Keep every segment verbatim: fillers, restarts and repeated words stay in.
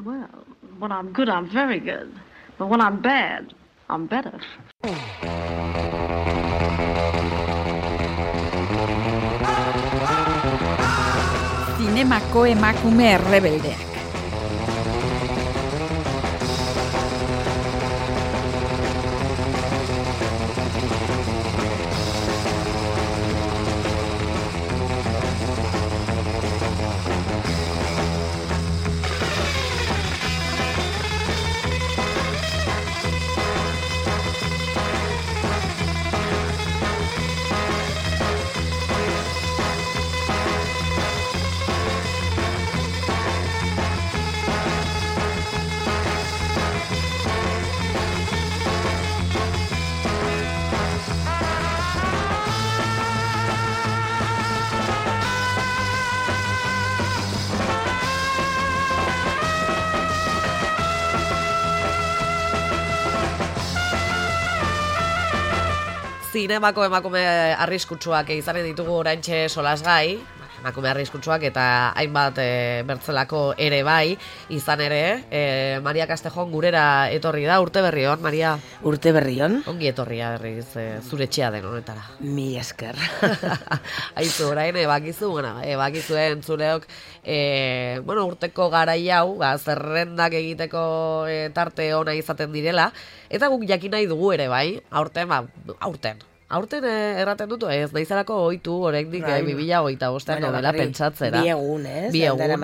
Well, when I'm good, I'm very good. But when I'm bad, I'm better. Zinemako emakume errebeldeak. Zinemako emakume arriskutsuak izanen ditugu oraintxe solasgai, emakume arriskutsuak eta hainbat e, bertzelako ere bai, izan ere, e, Maria Castejon gurera etorri da, urte berri hon, Maria? Urte berri hon. Ongi etorria berriz, e, zure etxea den honetara. Mi esker. Aizu, orain, ebakizu, bueno, ebakizuen zuleok, e, bueno, urteko garai hau, ba, zerrendak egiteko e, tarte ona izaten direla, eta guk jakin nahi dugu ere bai, aurten, ba, aurten. Aurten eh, erraten dut, ez naizarako ohitu oraindik eh, bi mila hogeita bostean bueno, novela pentsatzera. Bi egun, ez? Bi egun.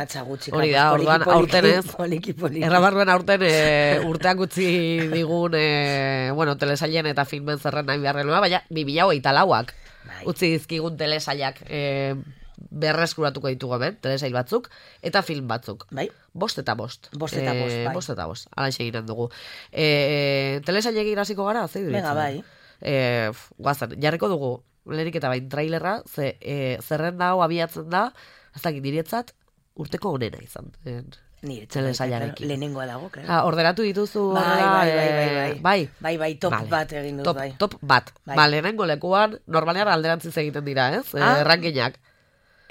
Hori da, orduan aurten ez. Errabarruen aurten e, urteak utzi digun, e, bueno, telesailen eta filmen zerren nahi beharrelua, baina bi mila hogeita lauak utzi dizkigun telesailak e, berreskuratuko ditugu hemen, telesail batzuk, eta film batzuk. Bai. Bost eta bost. Bost eta bost, bai. Bost eta bost, alaxe eginen dugu. E, telesailek irasiko gara, zei duritzen? Venga, bai. E, guazen, jarriko dugu lehenik eta bain trailerra, ze, e, zerrenda hau abiatzen da, ez dakit niretzat, urteko onena izan. Niretzat, lehenengoa dago, claro. Ah, ordenatu dituzu, bai, bai, bai, bai, bai, bai, bai, top vale. Bat egin dut, top, bai. Top bat, bai. Ba, lehenengo lekuan, normalean alderantziz egiten dira, ez? Ah? E, rankinak.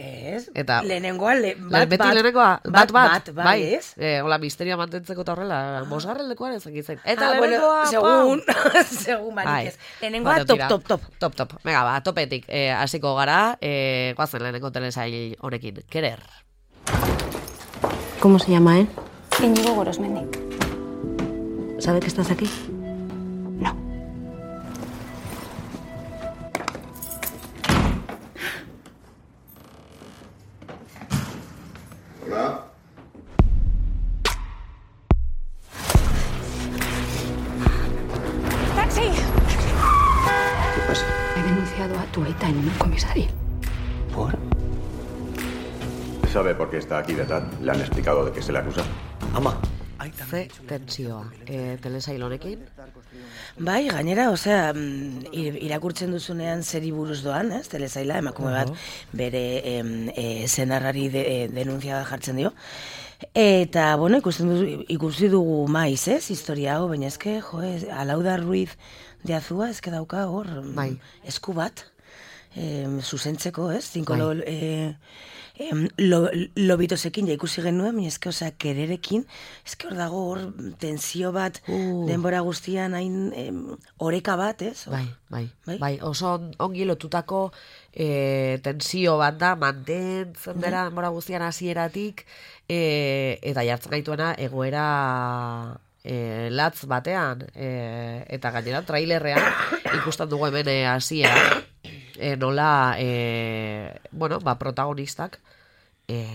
Ez, eta lehenengoa, le, bat, beti bat, lehenengoa, bat, bat, bat, bat, bai, ez? E, hola, misterioa mantentzeko eta horrela, ah. Bosgarren lekuan ez egitzen. Eta ah, lehenengoa, bueno, segun, segun barik ez. Lehenengoa, bueno, top, top, top. Top, top. Venga, ba, topetik eh, hasiko gara, eh, guazen lehenengo telesail honekin. Querer. ¿Cómo se llama él? Íñigo Gorosmendi. ¿Sabe que estás aquí? No. Hola. ¡Taxi! ¿Qué pasa? He denunciado a tu aita en un comisario. ¿Por? ¿Sabe por qué está aquí detrás? ¿Le han explicado de qué se le acusa? Ama. Ze tensioa, e, telesail honekin? Bai, gainera, osea, irakurtzen duzunean zeri buruz doan, ez, telesaila, emakume bat bere e, zenarrari de, e, denunzia jartzen dio. Eta, bueno, ikusten duzu, ikusi dugu maiz, ez, historia hau, baina eske, jo, ez, Alauda Ruiz de Azua, eske dauka hor, bai. Esku bat, e, zuzentzeko, ez, zinko bai. lo... E, Em, lo, lobitosekin ja ikusi genuen, baina eske, osea, kererekin, eske hor dago hor tensio bat, uh. denbora guztian hain em, oreka bat, ez? Bai, bai, bai, bai, oso ongi lotutako e, tensio bat da, mantentzen dira denbora guztian hasieratik, e, eta jartzen gaituena egoera e, latz batean, e, eta gainera trailerrean ikusten dugu hemen hasiera. E, nola, e, bueno, ba, protagonistak, e,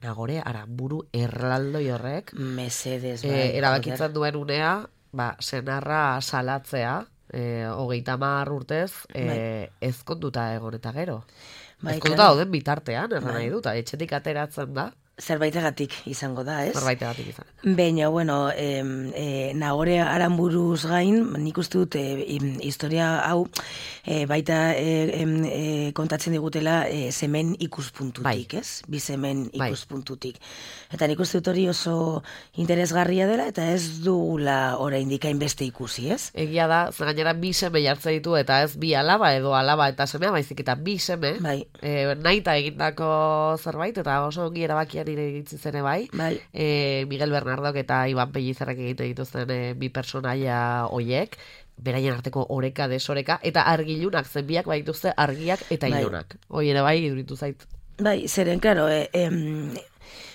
Nagore Aramburu erraldoi horrek, Mesedes, bai, e, erabakitzen duen unea, ba, senarra salatzea, e, hogeita hamar urtez, e, bai. ezkonduta egon eta gero. Bai, ezkonduta dauden bitartean, erran bai. Nahi dut, etxetik ateratzen da. Zerbaitegatik izango da, ez? Zerbaitegatik izan. Baina, bueno, e, e, Nagore Aranburuz gain, nik uste dut, e, historia hau, e, baita e, e, kontatzen digutela e, zemen ikuspuntutik, bai. Ez? Bi zemen ikuspuntutik. Bai. Eta nik uste dut hori oso interesgarria dela, eta ez dugula oraindik hainbeste ikusi, ez? Egia da, zer gainera bi seme jartzen ditu, eta ez bi alaba edo alaba eta semea, baizik eta bi seme, bai. e, nahita egindako zerbait, eta oso ongi erabakia batean ire egitzi ere bai, Bai. e, Miguel Bernardok eta Iban Pellizarrek egiten dituzten e, bi personaia hoiek, beraien arteko oreka, desoreka, eta argilunak zenbiak baituzte argiak eta Bai. ilunak. Hoi ere bai, iduritu zait. Bai, zeren, claro, eh, em,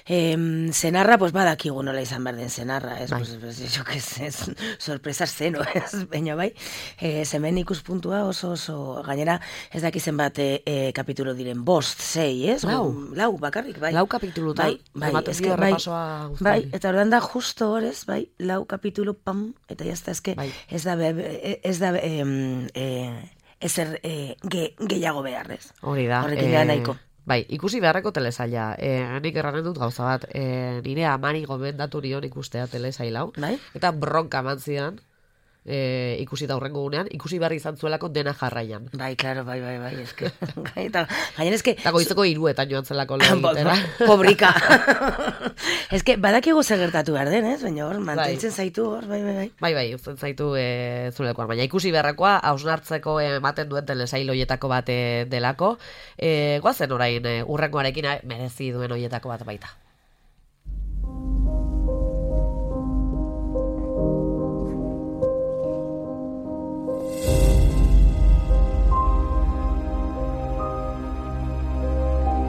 em, zenarra, pues badakigu nola izan behar den zenarra, ez, Bai. pues, pues, jo, que ez, ez, sorpresa zeno, ez, baina bai, eh, zemen ikuspuntua oso, oso, gainera, ez dakizen bat eh, eh, kapitulo diren, bost, sei, ez? Lau. Lau, bakarrik, bai. Lau kapitulutan, bai, bai, ematen eske, dio bai, errepasoa guztiari. bai, eta ordan da justo horrez, bai, lau kapitulo, pam, eta jazta, eske, Bai. ez da, be- ez da, em, eh, ezer eh, ge, gehiago beharrez. Hori da. Horrekin da nahiko. Bai, ikusi beharreko telesaila. E, nik erranen dut gauza bat. E, nire amari gomendatu nion ikustea telesail hau. Bai? Eta bronka eman zidan, e, ikusi da hurrengo gunean, ikusi behar izan zuelako dena jarraian. Bai, claro, bai, bai, bai, eske. Eta gainera eske Eta goizeko hiruetan joan zelako lehen egitera. pobrika. Eske badakigu zer gertatu behar den, ez? Baina hor mantentzen zaitu hor, bai, bai, bai. Bai, bai, uzten zaitu e, zulekoan. Baina ikusi beharrekoa, hausnartzeko ematen duen telesail hoietako bat e, delako. E, goazen orain, e, urrengoarekin e, merezi duen hoietako bat baita.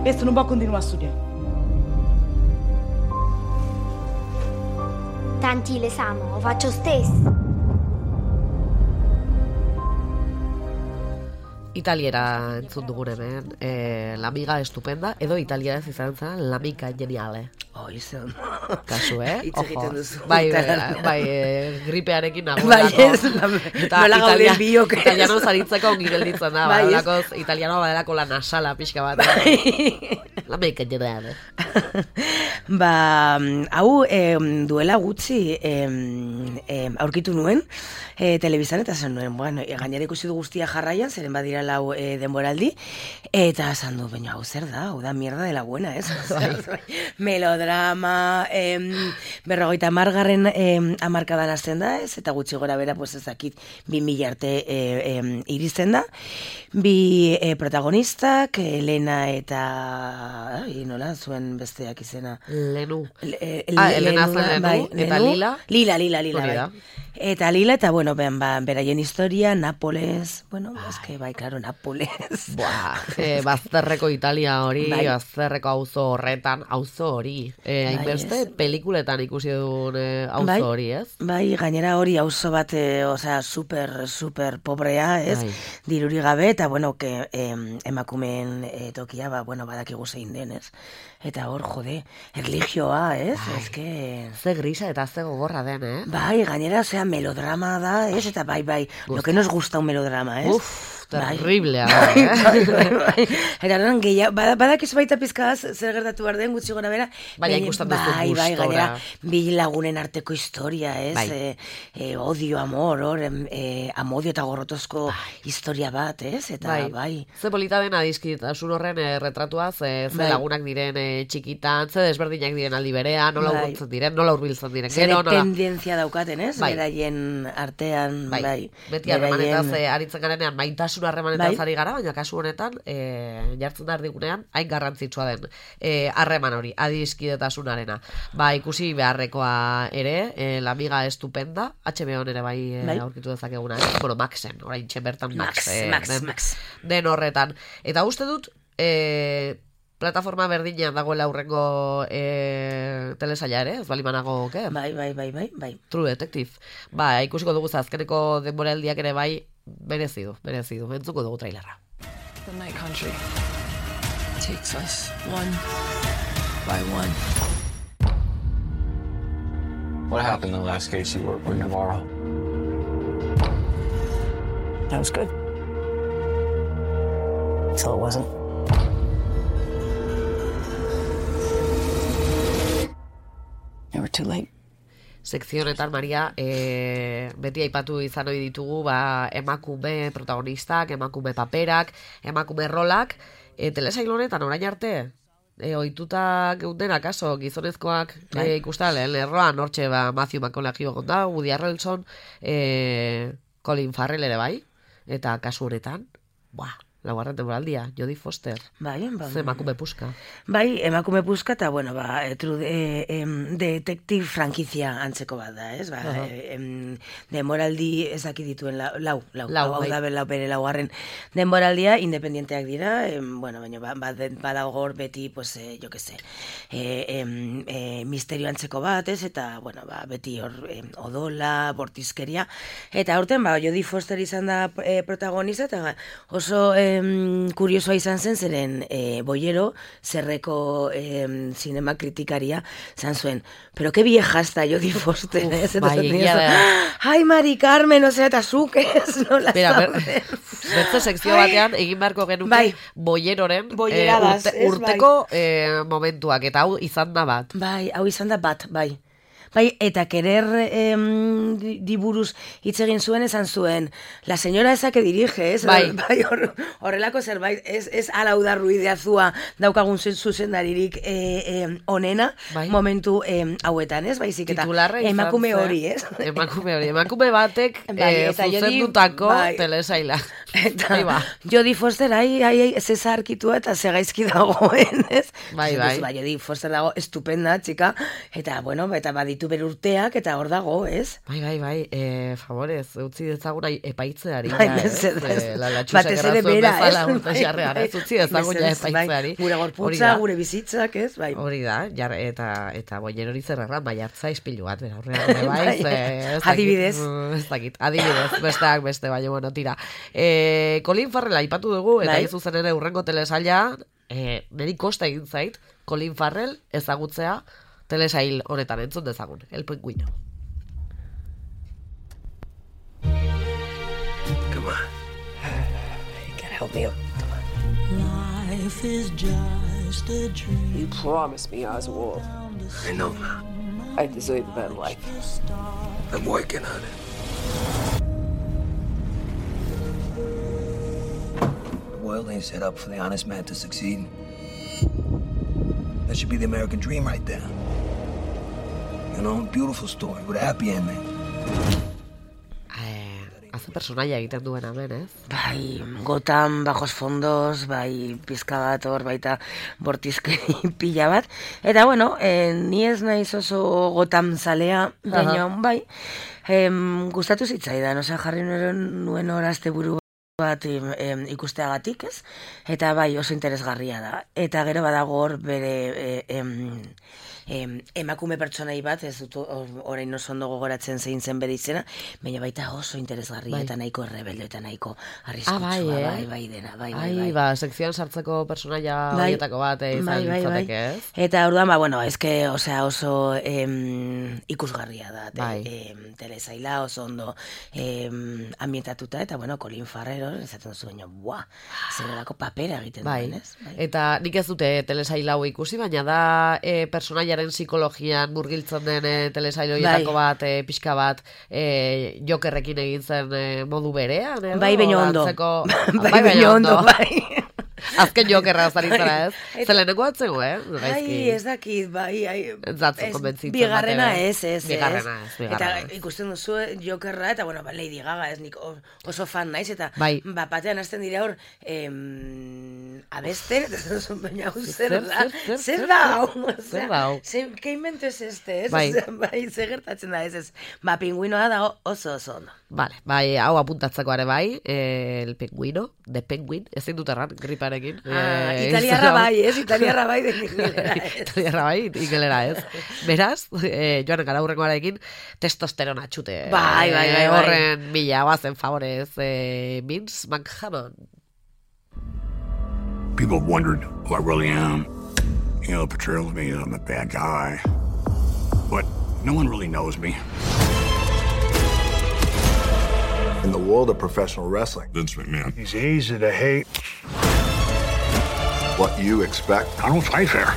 Questo non può continuare a studiare. Tanti l'esamo, faccio stesso. Italiera entzun dugun hemen, e, La amiga estupenda, edo italieraz izan zen La amica geniale. Oh, izan. Kasu, eh? Hitz egiten duzu. Bai, bai, bai e, gripearekin Bai, nagoelako. ez, nola gauden biok, ez. Italiano zaritzeko ongi gelditzen da, Bai, ez. badalako, italiano badalako la nasala pixka bat. La amica geniale. Ba, hau em, duela gutxi em, em, aurkitu nuen e, telebizan, eta zen nuen, bueno, e, gainera ikusi du guztia jarraian, zeren badira lau e, denboraldi, eta esan du, baina hau zer da, hau da mierda de la buena, ez? Melodrama, em, berrogeita margarren em, amarkadan azten da, ez? Eta gutxi gora bera, pues ez dakit, bi mila arte e, em, iristen da, bi e, protagonistak, Elena eta, ai, nola, zuen besteak izena, Lenu. Le, Ah, Elena Lenu, zen Lenu, bai, eta Lenu. Lila? Lila, Lila, Lila, Hori da. bai. Eta Lila, eta bueno, ben, ba, beraien historia, Napoles, bueno, eske, bai, claro, Napoles. Buah, e, bazterreko Italia hori, Bai. bazterreko auzo horretan, auzo hori. E, Bai, hainbeste ez. pelikuletan ikusi duen e, auzo Bai. hori, ez? Bai, gainera hori auzo bat, e, osea, super, super pobrea, ez? Bai. Diruri gabe, eta bueno, que, em, emakumeen e, tokia, ba, bueno, badakigu zein den, ez? Eta hor, jode, erlijioa, ez? Bai. Eske... Ze grisa eta ze gogorra den, eh? Bai, gainera, osea, melodrama da, ez? Eta bai, bai, lo que nos gusta un melodrama, ez? Uf, Bai. terriblea. Bai, eh? bai, bai, bai. Eta horren gehiago, bada, badakizu baita pizkaz, zer gertatu behar den, gutxi gora bera. Baina ikusten duzu bai, bai, gustora. gainera, bi lagunen arteko historia, ez? Bai. E, e, odio, amor, hor, em, e, amodio eta gorrotozko historia bat, ez? Eta bai. bai. Ze polita den adizkitasun horren eh, retratuaz, eh, ze Bai. lagunak diren eh, txikitan, ze desberdinak diren aldi berean, nola Bai. urbiltzen diren, nola urbiltzen diren. Zer Gero, nola... tendentzia daukaten, ez? Bai. Beraien artean, Bai, bai. beti harremanetaz beraien- eh, aritzen garenean, maitasun harremanetaz Bai. ari gara, baina kasu honetan, eh, jartzen da erdigunean, hain garrantzitsua den eh, harreman hori, adiskidetasunarena. Ba, ikusi beharrekoa ere, eh, La amiga estupenda, H B O ere bai, eh, Bai. aurkitu dezakeguna, eh? Bueno, Maxen, orain bertan Max, Max, eh, Max, den, Max. den horretan. Eta uste dut, eh, plataforma berdinean dagoela aurrengo eh, telesaila ere, ez bali manago, ke? Bai, bai, bai, bai, bai. True Detective. Ba, ikusiko dugu azkeneko denboraldiak ere bai, merezi du, merezi du. Entzuko dugu trailerra. The night country takes us one by one. What happened the last case you worked with Navarro? That was good. Until it wasn't. Never too late. Sekzionetan, Maria, e, beti aipatu izan ohi ditugu ba, emakume protagonistak, emakume paperak, emakume rolak, e, telesail honetan orain arte, e, ohituta geundena, kaso, gizonezkoak Bai. e, ikusta lehen lerroan, hortxe ba, Matthew McConaughey egon da, Woody Harrelson, e, Colin Farrell ere bai, eta kasu honetan, buah, laugarren denboraldia, Jodie Foster. Bai, ba. Ze emakume puska. Bai, emakume puska, eta, bueno, ba, tru, e, e, detektiv frankizia antzeko bat da, ez? Ba, uh-huh. e, em, denboraldi ez daki dituen lau, lau, lau, lau hau bai. da lau bere laugarren denboraldia, independienteak dira, em, bueno, baina ba, ba, badago hor beti, pues, e, jo que se, e, em, e, misterio antzeko bat, ez? Eta, bueno, ba, beti hor em, odola, bortizkeria, eta horten, ba, Jodie Foster izan da e, protagonista, eta oso em, kuriosoa izan zen, zeren e, Boyero, zerreko em, zinema kritikaria, zan zuen, pero que vieja está Jodie Foster, ez? Bai, egia da. Ai, Mari Carmen, osea, eta zuk ez, nola zaude. Bertze sekzio batean, egin beharko genuke bai. Boyeroren Boyeradas, urte, urteko bai. eh, momentuak, eta hau izan da bat. Bai, hau izan da bat, bai. Bai, eta kerer em, diburuz hitz egin zuen, esan zuen, la señora esa que dirige, ez? Bai. Bai, hor, horrelako zerbait, ez, ez ala uda ruideazua daukagun zuzendaririk e, e, onena, bai. momentu e, hauetan, ez? Baizik, eta emakume hori, ez? Emakume hori, emakume batek bai, e, zuzendutako bai. telesaila. Eta bai, ba. Jodie Foster, ai, ai, ai, zeza arkitua eta zegaizki dagoen, ez? Bai, bai. Ba, Jodie Foster dago estupenda, txika, eta, bueno, eta badit ditu bere urteak, eta hor dago, ez? Bai, bai, bai, e, favorez, utzi dezagun epaitzeari, bai, ez? E, la latxusak errazuen bezala urte xarrean, ez? Utzi dezagun ja epaitzeari. Gure gorputza, gure bizitzak, ez? Bai. Hori da, jar, eta, eta boien hori zerrerra, maiartza ispilu bat, bera, horrean, bai, ez? Adibidez. Ez dakit, adibidez, besteak beste, baina, bueno, tira. E, Colin Farrell aipatu dugu, eta ez zuzen ere urrengo telesaila, e, niri kosta egin zait, Colin Farrell ezagutzea, telesail honetan entzun dezagun, El Pingüino. Come on. You gotta help me out. Life is just a dream. You promised me, Oswald. I know. I deserve a better life. I'm working on it. The world ain't set up for the honest man to succeed. That should be the American dream right there. You know, beautiful story with a happy ending. Eh, hace personaia egiten duen hemen, ez? Bai, Gotham, bajos fondos, bai, pizka bat hor, baita bortizkeri pila bat. Eta, bueno, eh, ni ez naiz oso Gotham zalea, baina, bai, eh, gustatu zitzaidan, osea, jarri nuen horazte buru bat em, ikusteagatik, ez? Eta bai, oso interesgarria da. Eta gero badago hor bere em, em, emakume pertsonai bat, ez dut orain oso ondo gogoratzen zein zen bere izena, baina baita oso interesgarria bai. Eta nahiko errebeldo eta nahiko arriskutsua, ah, bai, eh? bai, bai dena, bai, bai, bai. bai. Ba, sekzioan sartzeko personaia bai, horietako bat izan bai, bai, litzateke, bai. ez? Eta orduan, ba, bueno, eske, osea, oso em, ikusgarria da, te, bai. em, telesaila oso ondo em, ambientatuta, eta, bueno, Colin Farrell, esaten duzu, baina, buah, zerrelako papera egiten bai. duen, ez? Bai. Eta nik ez dute telesaila hau ikusi, baina da e, personaiaren psikologian murgiltzen den e, telesaila horietako bai. bat, e, pixka bat, e, Jokerrekin egin zen e, modu berean, edo? Bai, baino ondo. Antzeko... bai, bai, baino ondo, bai. Azken Jokerra zaritzara, ez? Zeleneko atzego, eh? Ai, ez dakit, bai, ai... Zatzu konbentzitzen. Bigarrena ez, ez, bigarrena ez. Eta ikusten duzu Jokerra, eta, bueno, ba, Lady Gaga, ez nik oso fan naiz, eta bai. ba, batean hasten dira hor, em, abesten, eta ez duzu, baina, zer da? Zer da, zer da, ke invento ez este, ez? Bai. Bai, zer gertatzen da, ez, ez. Ba, pingüinoa da oso oso ondo. Vale, bai, hau apuntatzeko are bai, eh, el pingüino, de penguin, ezin dut erran, griparekin. Ah, eh, italiarra bai, ez? Italiarra bai, de ingelera ez. Italiarra bai, ingelera ez. Beraz, eh, joan gara hurrengoarekin, testosterona txute. Bai, bai, bai, bai. Horren mila, guazen favorez, eh, Vince McMahon. People have wondered who I really am. You know, the portrayal of me, I'm a bad guy. But no one really knows me. In the world of professional wrestling, Vince McMahon, he's easy to hate. What you expect, I don't fight fair.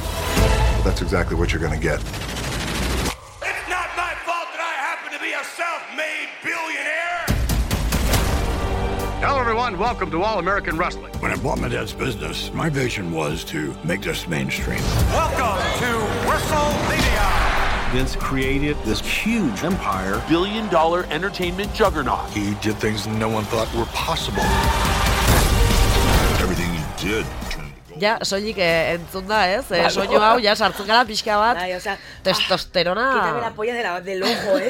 That's exactly what you're going to get. It's not my fault that I happen to be a self-made billionaire. Hello, everyone. Welcome to All American Wrestling. When I bought my dad's business, my vision was to make this mainstream. Welcome to WrestleMania. Vince created this huge empire, billion dollar entertainment juggernaut. He did things no one thought were possible. did. Ja, soilik eh, entzun da, ez? Eh, soinu hau, ja, sartzen gara pixka bat. Bai, o sea, testosterona. Ah, quítame la polla de la, del ojo, ¿eh?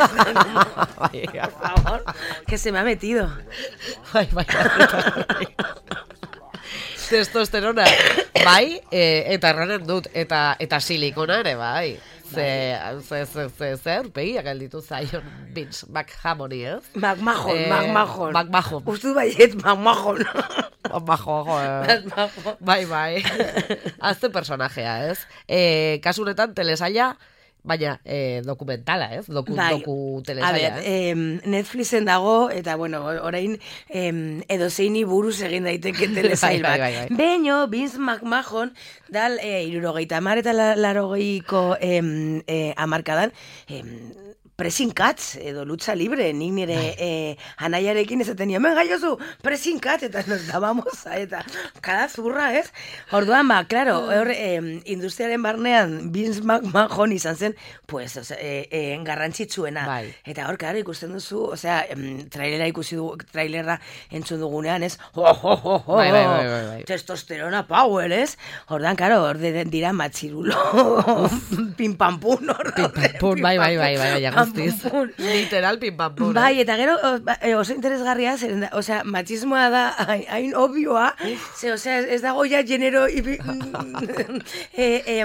Por favor, que se me ha metido. Bai, bai, bai. Testosterona. Bai, eh, eta erranen dut, eta, eta silikona ere, bai. Ze, ze, ze, ze, ze, urpegiak alditu zaion Vince McMahon, ez? McMahon, eh, McMahon. McMahon. Uste baiet McMahon. McMahon, eh. Bai, bai. Azte personajea, ez? Eh, kasunetan telesaila, baina eh, dokumentala, ez? Doku, bai. doku telesaila, ez? Eh, Netflixen dago, eta bueno, orain eh, edozeini buruz egin daiteke telesail bat. bai, bai, bai. Beño, Vince McMahon, dal eh, irurogeita amar eta larogeiko eh, eh, amarkadan, eh, pressing catch edo lucha libre, nik nire eh, anaiarekin ezaten nio, men gaiozu, pressing catch, eta nos dábamos, eta kada zurra, ez? Orduan, ba, klaro, hor, eh, industriaren barnean, Vince McMahon izan zen, pues, o sea, eh, eh, garrantzitsuena. Bai. Eta hor, klaro, ikusten duzu, o sea, em, trailera ikusi dugu, trailerra entzun dugunean, ez? Oh, oh, oh, oh, bai, bai, bai, bai, bai. Testosterona power, ez? Orduan, klaro, hor de, dira matxirulo, pimpampun, hor. Pimpampun, bai, bai, bai, bai, bai, guztiz. Literal pimpampun. Bai, eta gero, oso interesgarria, zeren da, osea, machismoa da, hain obvioa, ze, osea, ez dago ja genero ibi, e, e,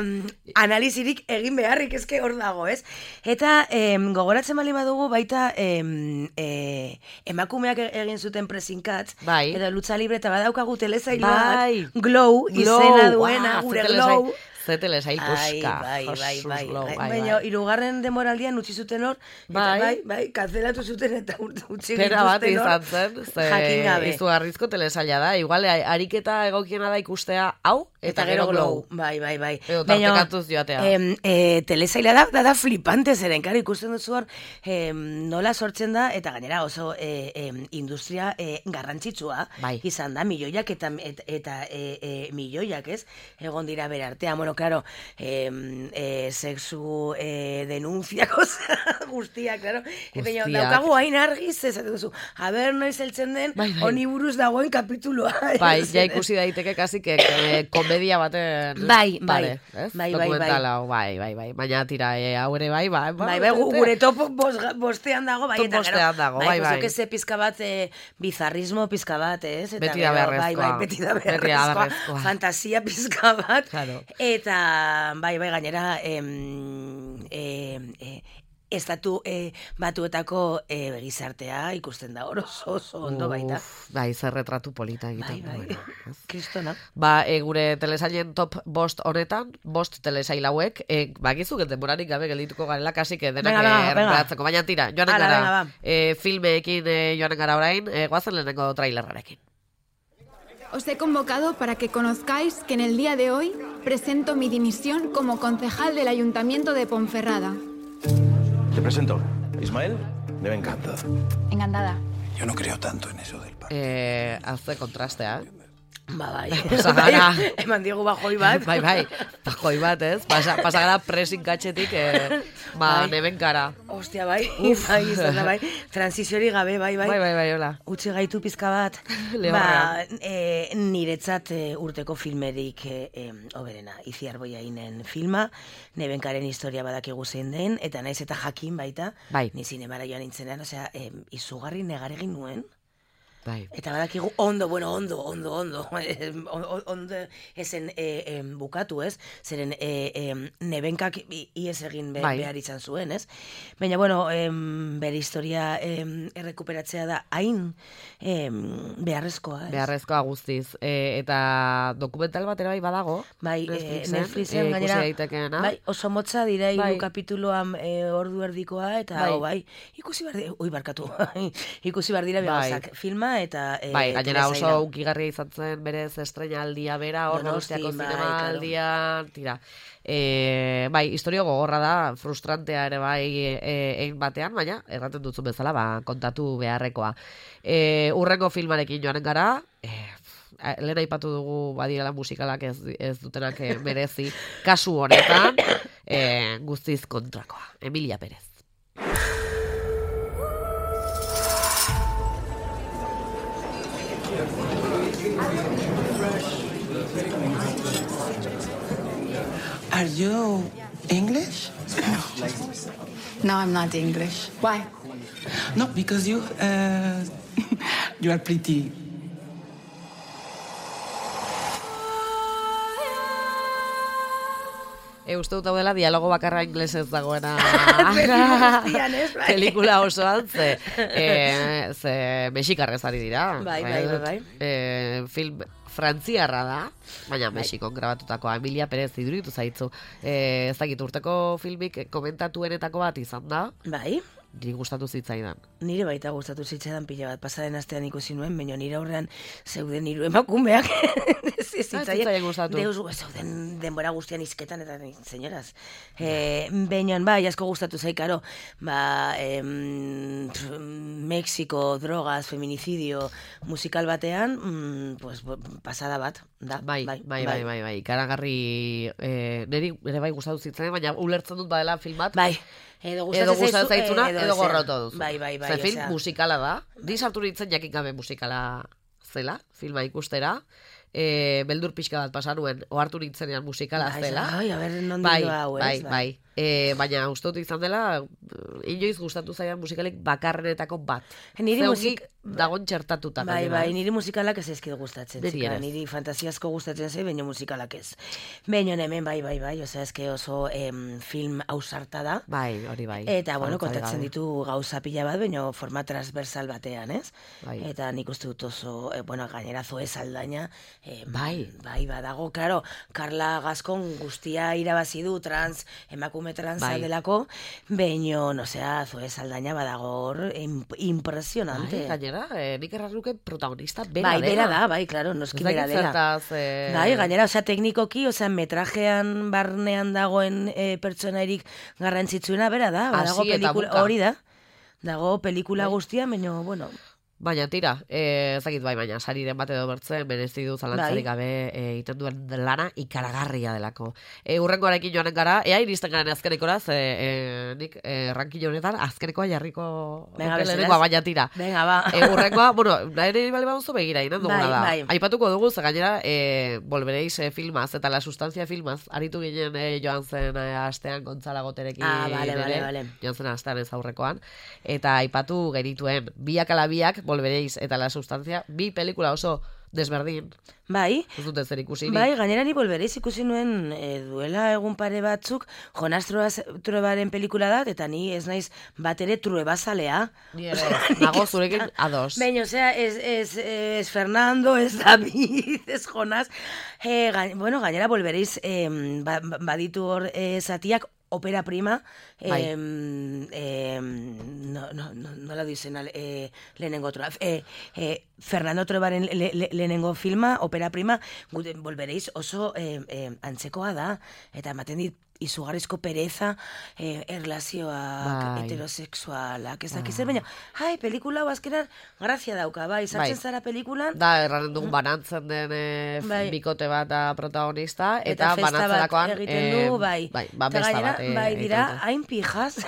analizirik egin beharrik ezke hor dago, ez? Eta e, gogoratzen bali badugu baita e, e, emakumeak egin zuten pressing catch, bai. Edo lucha libre, eta badaukagu telesailua bai. bat, glow, izena duena, wow, gure glow. Zetele zail puska. Bai, bai, bai, bai. Baina, irugarren demoraldian utzi zuten hor, eta bai, bai, kanzelatu zuten eta utzi dituzten hor. Pera bat izan zen, ze izugarrizko telesaila da. Igual, ariketa egokiena da ikustea hau, eta, eta gero glow. Bai, bai, bai. Edo tartekatuz joatea. E, e, telesaila da, da, da flipante zeren, karo, ikusten duzu hor, e, nola sortzen da, eta gainera oso e, e, industria e, garrantzitsua, bai. Izan da, milioiak eta, eta, eta e, e, milioiak, ez? Egon dira bere artean, bueno, claro, eh, eh, sexu eh, denunciak, guztia, claro. Eta daukagu hain argiz, ez duzu, a ber, noiz heltzen den, bai, bai. Honi buruz dagoen kapituloa. Bai, ja ikusi daiteke kasi que, que komedia baten... Bai, bai, vale, bai, bai, dokumentala, bai, bai, bai, baina tira, e, hau ere bai, bai, bai, bai, gure top bostean dago, bai, eta gero, dago, bai, bai, bai. Pizka bat, eh, bizarrismo pizka bat, ez? Eta beti da beharrezkoa. Bai, bai, beti da beharrezkoa. Fantasia pizka bat. Claro. Eta, bai, bai, gainera, em, em, em, estatu eh, batuetako eh, gizartea ikusten da oso oso ondo baita. Bai, zer retratu polita egiten. Bai, bai. Bueno, kristona. Ba, e, gure telesailen top bost honetan, bost telesail hauek, e, bakizu denborarik gabe geldituko garela, kasi que denak erratzeko. Baina tira, joanen Ala, gara, venga, e, filmeekin e, joanen gara orain, e, guazen lehenengo trailerrarekin. Os he convocado para que conozcáis que en el día de hoy presento mi dimisión como concejal del Ayuntamiento de Ponferrada. Te presento, Ismael de Bencanta. Encantada. Yo no creo tanto en eso del parque. Eh, hace contrastea, eh? Ba, bai. Pasagara. Eman diegu bajoi bat. Bai, bai. Bajoi bat, ez? Pasa, pasagara pressing katxetik, eh, ba, bai. Neben gara. Ostia, bai. Uf. Bai, izan da, bai. Transiziori gabe, bai, bai. Bai, bai, bai, hola. Utsi gaitu pizka bat. Ba, e, niretzat e, urteko filmerik e, oberena. Iziar Boiainen filma, Nebenkaren historia badakigu zein den, eta naiz eta jakin baita, bai. Ni zinemara joan nintzenean, osea, e, izugarri negaregin nuen. Bai. Eta badakigu ondo, bueno, ondo, ondo, ondo, ondo esen e, e, bukatu, ez? Zeren e, e, Nebenkak ies egin be, bai. Behar izan zuen, ez? Baina, bueno, e, bere historia e, errekuperatzea da hain e, beharrezkoa, ez? Beharrezkoa guztiz. E, eta dokumental bat ere bai badago. Bai, Netflixen, Netflixen e, gainera, bai, oso motza dira hiru bai. Kapituluan e, ordu erdikoa, eta bai, oh, bai ikusi behar, ui, barkatu, ikusi behar dira begazak, bai. Filma, eta e, bai, gainera oso ukigarria izan zen berez estreinaldia bera, hor Donostiako zinemaldia, tira. E, bai, historio gogorra da, frustrantea ere bai egin e, batean, baina erraten dutzun bezala, ba, kontatu beharrekoa. E, urrengo filmarekin joanen gara, e, lehen aipatu dugu badirela musikalak ez, ez dutenak merezi, kasu honetan, e, guztiz kontrakoa. Emilia Perez. Are you English? No, I'm not English. Why? No, because you, uh, you are pretty. E, uste dut hau dela dialogo bakarra inglesez dagoena pelikula osoan, ze, e, ze mexikarrez ari dira. Bai, bai, bai, bai. E, film frantziarra da, baina Mexikon grabatutakoa. Emilia Perez iduritu zaitzu. E, ez dakit urteko filmik komentatuenetako bat izan da. Bai. Niri gustatu zitzaidan. Nire baita gustatu zitzaidan pila bat. Pasaren astean ikusi nuen, baina nire aurrean zeuden hiru emakumeak. Zitzaien gustatu. Deus zeuden denbora guztian izketan eta senyoras. Eh, baina bai, asko gustatu zaikaro. Ba, em, Mexiko, drogas, feminicidio, musikal batean, mm, pues, pasada bat. Da, bai, bai, bai, bai, bai, bai. Karagarri, eh, niri ere bai gustatu zitzaidan, baina ulertzen dut badela film bat. Bai. Edo gustatzen zaitzuna, edo, edo gorroto duzu. Bai, bai, bai. Ze film musikala da. Di sartu nintzen jakin gabe musikala zela, filma ikustera. E, beldur pixka bat pasanuen, ohartu nintzenean musikala zela. Bai, a ber, non bai, hau, ez? Bai, bai, bai. E, baina uste dut izan dela, inoiz gustatu zaidan musikalik bakarrenetako bat. Niri musik dagon txertatuta. Bai, bai, niri musikalak ez ezkid gustatzen. Niri, niri fantasiasko gustatzen zei, baina musikalak ez. Baina hemen bai, bai, bai, osea, eske oso em, film ausarta da. Bai, hori bai. Eta, bueno, kontatzen ditu gauza pila bat, baina forma transversal batean, ez? Bai. Eta nik uste dut oso, eh, bueno, gainera Zoe Saldaña, eh, bai, bai, badago, claro, Carla Gascon guztia irabazi du trans, emakume transa bai. delako, baina, osea, Zoe Saldaña badago hor impresionante. Bai, gainera, eh, nik erraruke protagonista bera bai, dela. Bai, bera da, bai, claro, noski bera dela. Zertaz, eh... Bai, gainera, osea, teknikoki, osea, metrajean barnean dagoen eh, pertsonarik garrantzitsuena bera da, badago pelikula, hori da, dago pelikula bai. guztia, baina, bueno... Baina tira, eh, ezakit bai, baina sariren bat edo bertzen, merezi du zalantzarik gabe eh, iten duen lana ikaragarria delako. E, urrengoarekin joanen gara, ea iristen garen azkenekora, ze e, nik e, rankin honetan azkenekoa jarriko lehenengoa, baina tira. Venga, ba. E, urrengoa, bueno, nahi bali baduzu begira, inen duguna bai, da. Bai. Aipatuko dugu, ze gainera, e, volvereiz e, filmaz, eta la sustancia filmaz, aritu ginen e, joan zen e, astean Gontzala Goterekin. Ah, vale, vale, vale. Joan zen astean ez aurrekoan. Eta aipatu genituen, biak ala biak, volvereiz eta la sustancia, bi pelikula oso desberdin. Bai. Ez dute zer ikusi. Bai, gainera ni volvereiz ikusi nuen e, duela egun pare batzuk, Jonas Truebaren pelikula da, eta ni ez naiz bat ere Truebazalea. Ni ere, nago zurekin ados. Baina, osea, ez, ez, ez Fernando, ez David, ez Jonas. E, ga, bueno, gainera volvereiz e, ba, baditu hor e, zatiak, Opera prima, eh, eh, no, no, no, no la dicen eh, lehenengo troa. Eh, eh, Fernando Truebaren le, le, lehenengo filma, Opera prima, volvereiz oso eh, eh, antzekoa da, eta ematen dit izugarrizko pereza, eh, erlazioak, bai. heterosexualak, ez dakiz, baina, hai, pelikula hau azkenan grazia dauka, bai, sartzen bai. zara pelikulan. Da, erranen dugun banantzen den eh, bai. bikote bat da protagonista, eta, eta banatzerakoan... egiten du, eh, bai. Bai, ba, besta gainera, bat. Eh, bai, dira, hain pijas,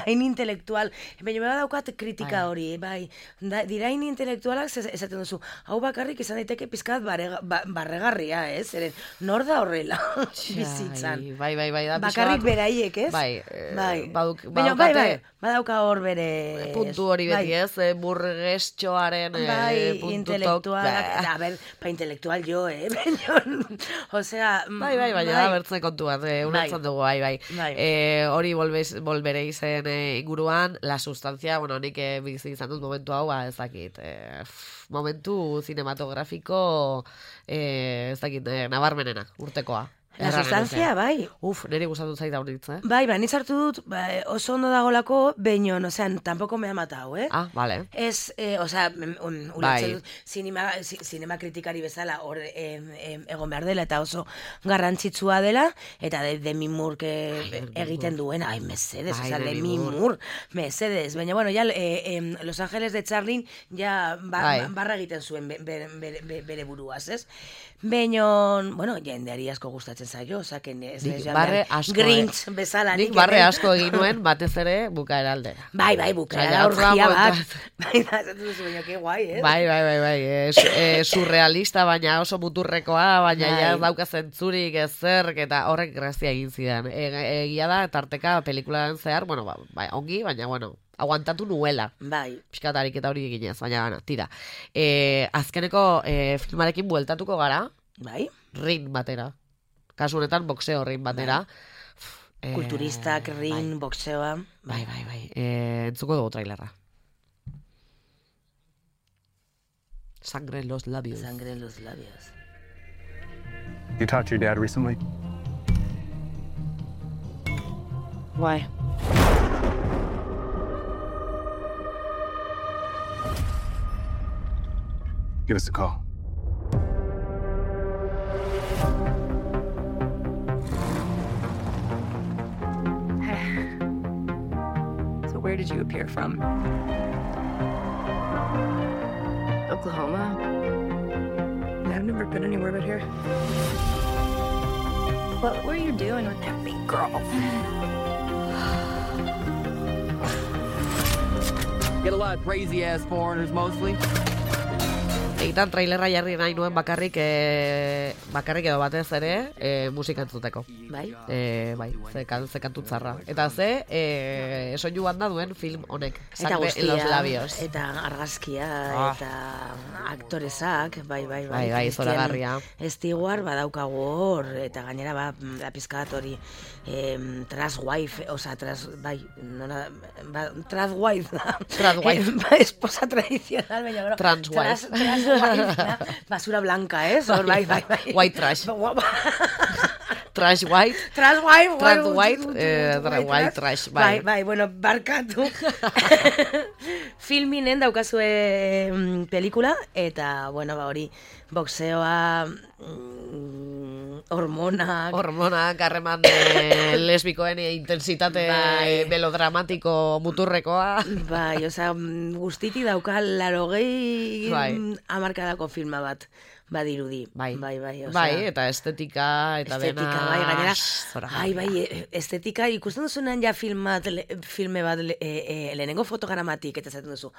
hain intelektual. Baina beba daukat kritika bai. hori, bai. Da, dira hain intelektualak, esaten duzu, hau bakarrik izan daiteke pizkat barrega, ba, barregarria, ez? Eren, nor da horrela, bizitzan. Bai, bai, bai. Da, bakarrik beraiek, ez? Bai, eh, bai. Baduk, Baina, bai, bai, badauka hor bere... Puntu hori beti, bai. ez? Burgestxoaren bai, eh, puntu intelektualak, tok. A ber, pa intelektual jo, eh? Osea... Bai, bai, bai, da bertzen kontuan, eh, unatzen bai. dugu, bai, bai. bai. Eh, hori volvereizen eh, inguruan, la sustancia, bueno, nik eh, bizi izan dut momentu hau, ba, ez dakit, eh, momentu cinematografiko, eh, ez dakit, eh, nabarmenena, urtekoa. La sustancia, bai. Uf, niri gustatu zait da honitz, eh? Bai, bai, nitzartu dut, ba, oso ondo dagolako, baino, o sea, tampoco me ha matado, eh? Ah, vale. Ez, eh, o sea, un, un bai. dut, cinema, cinema kritikari bezala, hor eh, eh, egon behar dela, eta oso garrantzitsua dela, eta de, Demi Moore que egiten duen, ai, mesedes, o sea, Demi Moore, mesedes, baina, bueno, ya, eh, eh, Los Ángeles de Charlie, ja, ba, barra egiten zuen bere, bere, bere buruaz, ez? Baina, bueno, jendeari asko gustatzen zaio, osaken ez Nik barre asko, Grinch bezala. Nik barre asko egin nuen, batez ere, bukaera aldera. Bai, bai, bukaera orgia bat. Bai, da, ez duzu baina, que guai, eh? Bai, bai, bai, bai, e, surrealista, baina oso muturrekoa, baina ja dauka zentzurik ezerk, eta horrek grazia egin zidan. Egia da, tarteka pelikularen zehar, bueno, ba, bai, ongi, baina, bueno, aguantatu nuela. Bai. Piskatarik eta hori eginez, baina gana, tira. E, azkeneko e, filmarekin bueltatuko gara. Bai. Ring batera. Kasu honetan, boxeo ring batera. Bai. Kulturistak, e, ring, bai. Boxeoa. Bai, bai, bai. E, entzuko dugu trailerra. Sangre en los labios. Sangre en los labios. You talked to your dad recently? Why? Give us a call. So where did you appear from? Oklahoma. I've never been anywhere but here. What were you doing with that big girl? Get a lot of crazy-ass foreigners, mostly. Egitan trailerra jarri nahi nuen bakarrik e, bakarrik edo batez ere e, musika entzuteko. Bai? E, bai, ze, kan, ze kantu txarra. Eta ze, e, soinu banda duen film honek. Eta guztia, los labios. Eta argazkia, ah. eta aktorezak, bai, bai, bai. Bai, bai, zoragarria. Stewart badaukagu hor, eta gainera ba, la pizkat hori em, trans wife, oza, trans, bai, nona, ba, trans wife da. Trans wife. Ba, esposa tradicional, baina, bro. Trans wife. Trans, trans wife, basura blanca, eh? Bai, bai, bai, bai. White trash. Trash white. Trash white. Trash white. Eh, trash white, trash, bai. Bai, bai, bueno, barkatu. Filminen daukazue mm, pelikula, eta, bueno, ba, hori, boxeoa, mm, hormonak. Hormonak, harreman lesbikoen intensitate bai. Melodramatiko muturrekoa. Bai, oza, guztiti dauka larogei bai. Amarkadako filma bat. Badirudi. Bai, bai, bai, o sea, bai, eta estetika, eta estetika, dena... bai, gainera, ai, bai, estetika, ikusten duzunean ja filmat, le, filme bat, le, e, e, lehenengo fotogramatik, eta zaten duzu,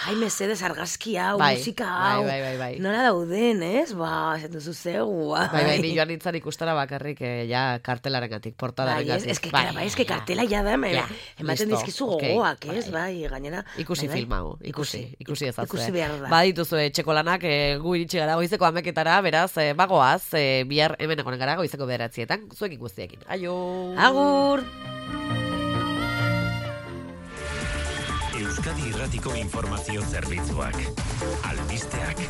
ai, mesedez argazki hau, bai, musika hau, bai, bai, bai, bai. nola dauden, ez? Ba, zaten duzu zeu, bai. Bai, bai, ni joan nintzen ikustara bakarrik, eh, ja, kartelaren gatik, portadaren bai, gatik. Ez que, bai, bai, ez que kartela ja da, ja, ematen dizkizu gogoak, okay. Ez, bai, gainera. Ikusi bai, bai. film hau, ikusi, ikusi ezazue. Ikusi behar da. Ba, dituzu, txeko lanak, eh, gu iritsi gara goizeko ameketara, beraz, eh, bagoaz, eh, bihar hemen egonen gara goizeko bederatzietan, zuekin guztiekin. Aio! Agur! Euskadi Irratiko Informazio Zerbitzuak. Albisteak.